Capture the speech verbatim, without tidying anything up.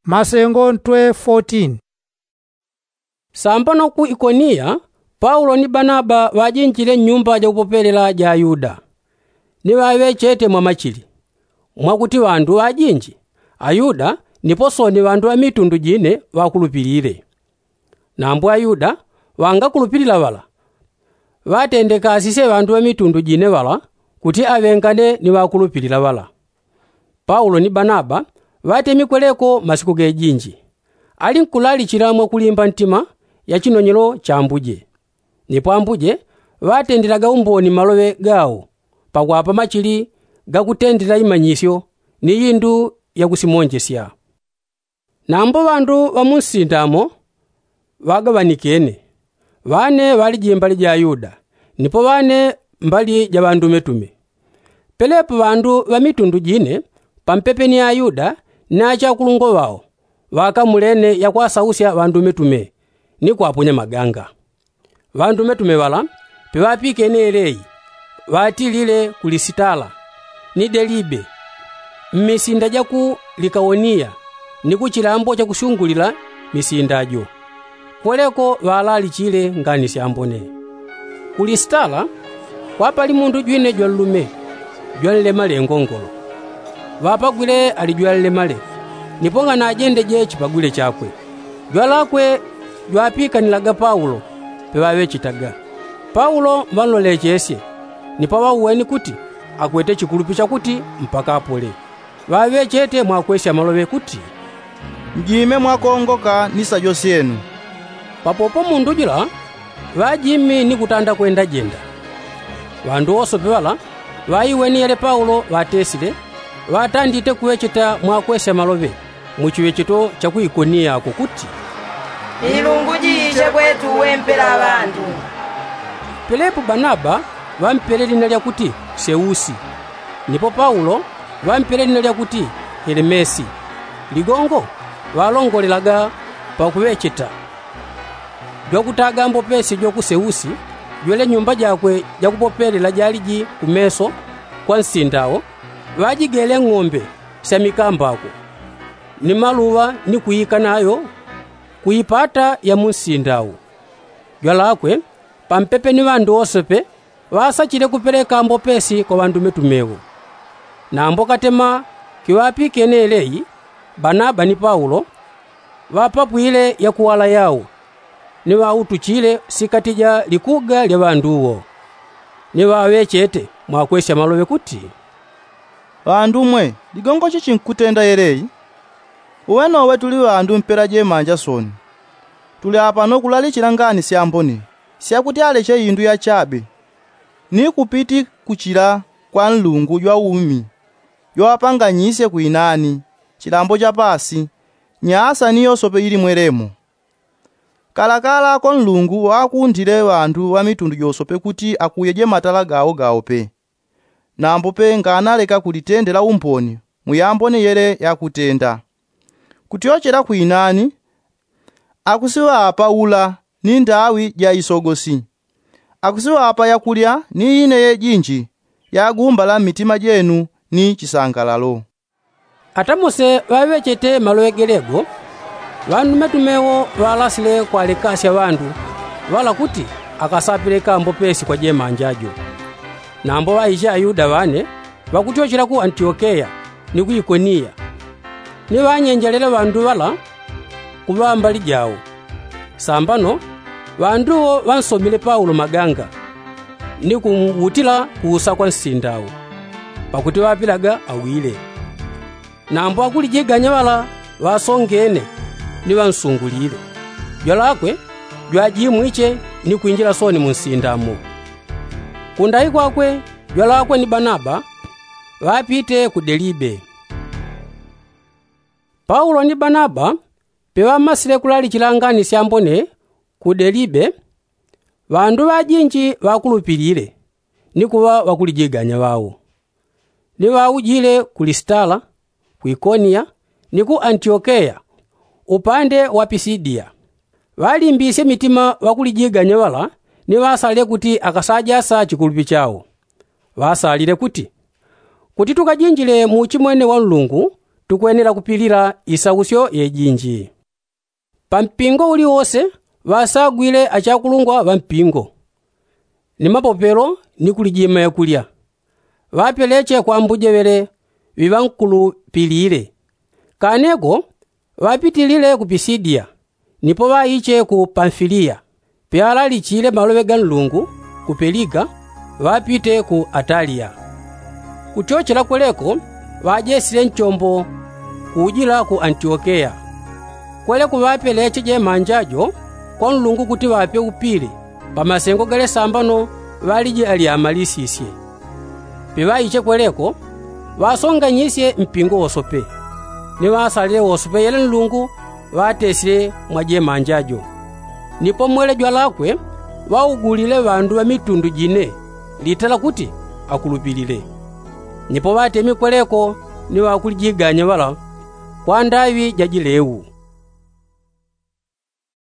Masengo ntwe fotin. Sambano ku ikoniya, paulo ni banaba ŵajinjile nnyumba jakupopelela ja ayuda, ni ŵaŵechete mwamachili, mwakuti ŵandu ŵajinji ayuda nipo soni ŵandu ŵa mitundu jine ŵakulupilile. Nambo ayuda ŵangakulupilila ŵala, ŵatendekasisye ŵandu ŵa mitundu jine ŵala kuti aŵengane ni ŵakulupilila ŵala. Paulo ni banaba ŵatemikwe leko masiku gejinji, ali nkulalicila mwakulimba ntima ya chinonyelo cha ambuje. Nipo ambuje ŵatendelaga umboni maloŵe gawo pakwapa machili gakutendela imanyisyo ni indu yakusimonjesya. Nambo ŵandu ŵa mu nsinda mo ŵagaŵanikene, ŵane ŵaliji mbali ja ayuda, nipo ŵane mbali ja ŵandumetume. Pelepo ŵandu ŵa mitundu jine pampepe ni ayuda ni achakulungwa ŵao ŵakamulene yakwasausya ŵandumetume ni kwaponya maganga. Ŵandumetume ŵala peŵapikene yeleyi, ŵatilile ku lisitala ni delibe, mmisinda ja ku likaoniya, ni ku chilambo chakusyungulila misinda jo. Kweleko ŵalalichile ngani syambone. Ku lisitala kwapali mundu jwine jwanlume jwanlemale ngongolo. Ŵapagwile ali jwanlemale, nipo nganajendeje chipagwile chakwe. Jwalakwe jwapikanilaga paulo peŵaŵechetaga. Paulo ŵanlolechesye, nipo ŵauweni kuti akwete chikulupi chakuti mpaka apole. Ŵaŵechete mwakwesya maloŵe kuti, njime mwakongoka ni sajo syenu. Papopo mundu jula ŵajimi ni kutanda kwendajenda. Ŵandu wosope ŵala ŵaiweni yele paulo ŵatesile, ŵatandite kuŵecheta mwakwesya maloŵe mu chiŵecheto cha ku ikoniyako kuti, milungu jiiche kwetu wempela ŵandu. Pelepo banaba ŵampele lina lyakuti seusi, nipo paulo ŵampele lina lyakuti helemesi. Ligongo ŵalongolelaga pakuŵecheta jwakutaga mbopesi jo ku seusi, jwele nyumba jakwe jakupopelela jaliji kumeso kwa nsinda wo. Ŵajigele ng'ombe sya mikambako ni maluŵa ni kuika nayo ku ipata ya mu nsinda wo. Jwalakwe pampepe ni ŵandu wosepe ŵasachile kupeleka mbopesi kwa ŵandumetume wo. Nambo katema kiŵapikene yeleyi, banaba ni paulo ŵapapwile yakuwala yawo, ni ŵautuchile sikati ja likuga lya ŵandu wo. Ni ŵaŵechete mwakwesya maloŵe kuti, ŵandu mwe, ligongo chichi nkutenda yeleyi? Uwe nowe tuli ŵandu mpela jemanja soni. Tuli apano kulalichila ngani syambone syakuti aleche indu yachabe ni kupiti kuchila kwa nlungu jwa umi jwawapanganyisye kwinani chilambo cha pasi, nyasa ni yosope ili mwelemo. Kalakala ko nlungu ŵakundile ŵandu ŵa mitundu josope kuti akuyeje matala gawo gawo pe. Nambo pe nganaleka kulitendela umboni mu yambone yele yakutenda. Kutyochela kwinani akusiŵapa ula ni ndawi ja isogosi. Akusiŵapa yakulya ni ine yejinji yagumbala mmitima jenu ni chisangalalo. Ata mose ŵaŵechete maloŵe gelego, ŵandumetume wo ŵalasile kwalekasya ŵandu ŵala kuti akasapeleka mbopesi kwa jemanja jo. Nambo ŵaiche ayuda ŵane ŵakutyochela ku antiokeya ni ku ikoniya, ni ŵanyenjelele ŵandu ŵala kuŵa mbali jawo. Sambano ŵandu wo ŵansomile paulo maganga ni kumwutila kuusa kwa nsinda wo, pakuti ŵapilaga awile. Nambo akulijiganya ŵala ŵasongene ni ŵansungulile. Jwalakwe jwajimwiche ni kwinjila soni mu nsinda mo. Kundayi kwakwe jwalakwe ni banaba ŵapite ku delibe. Paulo ni banaba peŵamasile kulalichila ngani syambone ku delibe, ŵandu ŵajinji ŵakulupilile ni kuŵa ŵakulijiganya ŵawo. Ni ŵaujile ku lisitala, ku ikoniya ni ku antiokeya upande wa pisidiya. Ŵalimbisye mitima ŵakulijiganya ŵala ni ŵasalile kuti akasajasa chikulupi chawo. Ŵasalile kuti, kuti tukajinjile mu uchimwene wa nlungu Tukwenela kupilila isausyo yejinji. Pampingo uliwose ŵasagwile achakulungwa ŵa mpingo, ni mapopelo ni kulijima yakulya, ŵapeleche kwa ambuje ŵele ŵiŵankulupilile. Kaneko ŵapitilile ku pisidiya, nipo ŵaiche ku pamfiliya. Pyalalichile maloŵe ga nlungu ku peliga, ŵapite ku ataliya. Kuchochela kweleko ŵajesile nchombo kujila ku antiokeya. Kweleko ŵapeleche jemanja jo kwa nlungu kuti ŵape upile, pamasengo gale sambano ŵalije alyamalisisye. Piŵaiche kweleko ŵasonganyisye mpingo wosope, ni ŵasalile wosope yele nlungu ŵatesile mwa jemanja jo. Nipo mwele jwalakwe ŵaugulile ŵandu ŵa mitundu jine litala kuti akulupilile. Nipo ŵatemi kweleko ni ŵakulijiganya ŵala kwa ndaŵi ja jileu.